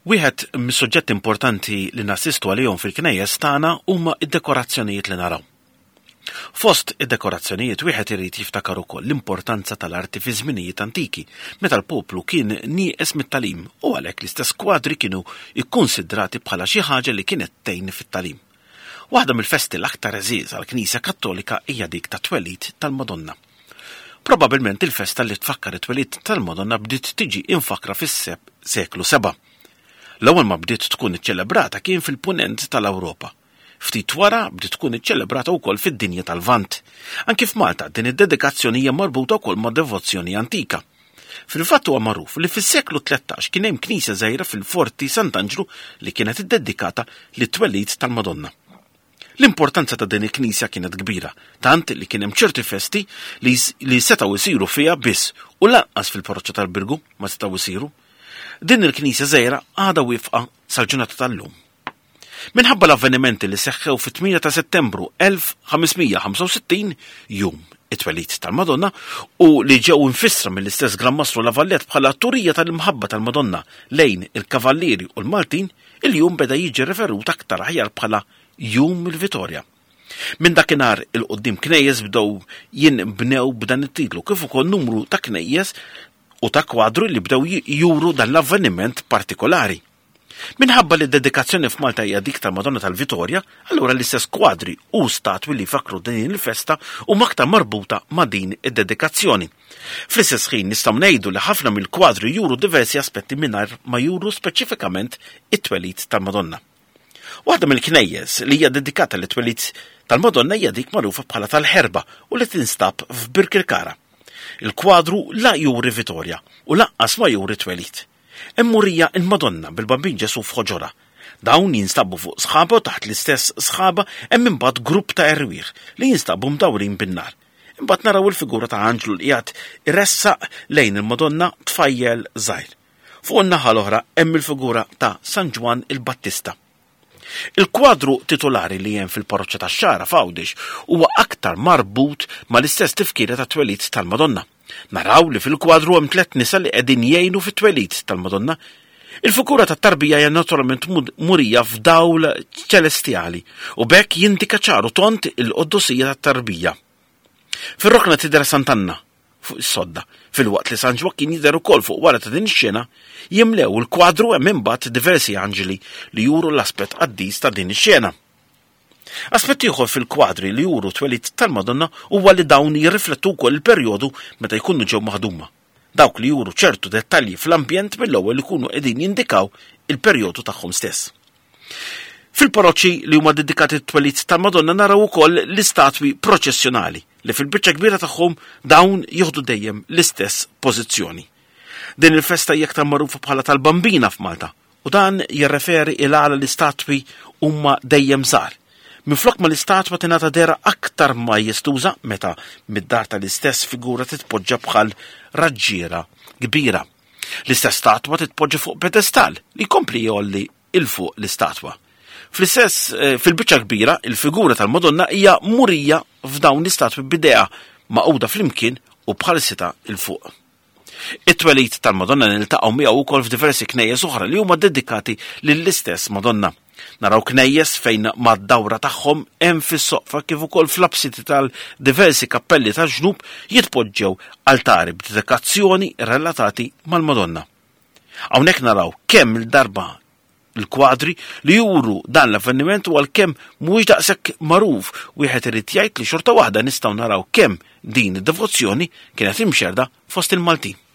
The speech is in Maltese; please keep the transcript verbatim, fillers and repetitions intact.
Wieħed mis-suġġetti importanti li nassistu għalihom fil-knejjes tagħna huma d-dekorazzjonijiet li naraw. Fost id-dekorazzjonijiet wieħed irid jiftakar ukoll l-importanza tal-arti fi żminijiet antiki, meta l-poplu kien nieqes mit-tagħlim u għalhekk l-istess kwadri kienu kkunsidrati bħala xi ħaġa li kienet tgħin fit-tagħlim. Waħda mill-festi l-aktar għeżież għall-Knisja Kattolika hija dik tat-twelid tal-Madonna. Probabilment il-festa li tfakkar it-twelid tal-Madonna bdiet tiġi imfakkra fis-seklu seba'. L-ewwel ma bdiet tkun iċċelebrata kien fil-punent tal-Ewropa. Ftit wara bdiet tkun iċċelebrata wkoll fid-dinja tal-Lvant. Anki f'Malta din id-dedikazzjoni hija marbuta wkoll ma' devozzjoni antika. Fil-fatt huwa magħruf li fis-seklu tlettax kien hemm knisja żgħira fil-Forti Sant'Anġlu li kienet iddedikata lit-twelid tal-Madonna. L-importanza ta' din il-knisja kienet kbira, tant li kien hemm ċerti festi li, li setgħu jsiru fiha biss u lanqas fil-parroċċa tal-Birgu ma setgħu jsiru. Din il-knisja żgħira għadha wieqfa sal-ġurnata tal-lum. Minħabba l-avvenimenti li seħħew fit-tmienja ta' Settembru elf ħames mija ħamsa u sittin, jum it-twelid tal-Madonna, u li ġew infissra mill-istess Gran Mastru La Valette bħala turija tal-imħabba tal-Madonna lejn il-Kavallieri u l-Maltin, il-jum beda jiġi referut aktar aħjar bħala Jum il-Vitorja. Minn dakinhar il-qoddim knejjes bdew jinbnew b'dan it-titlu, kif ukoll numru ta' knejjes u ta' kwadru li bdew juru dan l-avveniment partikolari. Minħabba li d-dedikazzjoni f'Malta hija dik tal-Madonna tal-Vitorja, allura l-istess kwadri u statwi li fakru din il-festa huma aktar marbuta ma' din id-dedikazzjoni. Fl-istess ħin nistgħu ngħidu li ħafna mill-kwadri juru diversi aspetti mingħajr ma juru speċifikament it-twelid tal-Madonna. Waħda mill-knejjes li hija dedikata lit-twelid tal-Madonna hija dik magħrufa bħala tal-Ħerba u li tinstab f'Birkirkara. Il-kwadru la juri Vitorja u lanqas ma juri twelid. Hemm murija il-Madonna bil-Bambin Ġesu f'ħoġorha. Dawn jinstabu fuq sħaba u taħt l-istess sħaba hemm imbagħad grupp ta' erwieħ li jinstabu mdawrin bin-nar. Imbagħad naraw il-figura ta' anġlu li qiegħed iressaq lejn il-Madonna tfajjel żgħir. Fuq in-naħa l-oħra hemm il-figura ta' San Ġwann il-Battista. Il-kwadru titolari li hemm fil-parroċċa tax-Xagħra f'Għawdex huwa aktar marbut mal-istess tifkira ta' twelid tal-Madonna. Naraw li fil-kwadru hemm tliet nisa li qegħdin jgħinu fit-twelid tal-Madonna. Il-figura tat-tarbija hija naturalment murija f'dawl ċelestjali u b'hekk jindika ċaru tont il-qoddosija tat-tarbija. Fir-rokna tidher Sant'Anna fuq is-sodda, filwaqt li San Ġwakkin jidher ukoll fuq wara ta' din ix-xena, jimlew il-kwadru hemm imbagħad diversi anġeli li juru l-aspett qaddis ta' din ix-xena. Aspett ieħor fil-kwadri li juru twelid tal-Madonna huwa li dawn jirriflettu wkoll il-perjodu meta jkunu ġew maħduma. Dawk li juru ċertu dettalji fl-ambjent mill-ewwel ikunu qegħdin jindikaw il-perjodu tagħhom stess. Fil-parroċċi li huma dedikati t-twelid tal-Madonna naraw ukoll l-istatwi proċessjonali li fil-biċċa kbira tagħhom dawn jieħdu dejjem l-istess pożizzjoni. Din il-festa hija aktar magħrufa bħala tal-Bambina f'Malta u dan jirreferi il għala l-istatwi huma dejjem żgħar. Minflok ma l-istatwa tingħata dehra aktar majestuża meta mid-dar tal-istess figura titpoġġa bħal raġġiera kbira. L-istess statwa titpoġġa fuq pedestal li jkompli jgħolli il fuq l-istatwa. Fl-istess, eh, fil-biċċa kbira, il-figura tal-Madonna hija murija f'dawn l-istatwi b'idea maquda flimkien u bħal sita il fuq. It-twelid tal-Madonna niltaqgħu miegħu wkoll f'diversi knejjes oħra li huma dedikati lill-istess Madonna. Naraw knejjes fejn mad-dawra tagħhom hemm fis-soqfa kif ukoll fl-apsiti tal-diversi kappelli tal-ġnub jitpoġġew altari b'dedikazzjoni relatati mal-Madonna. Hawnhekk naraw kemm il-darba il-kwadri li juru dan l-avveniment u għalkemm mhuwiex daqshekk magħruf wieħed irid jgħid li xorta waħda nistgħu naraw kemm din id-devozzjoni kienet imxerda fost il-Maltin.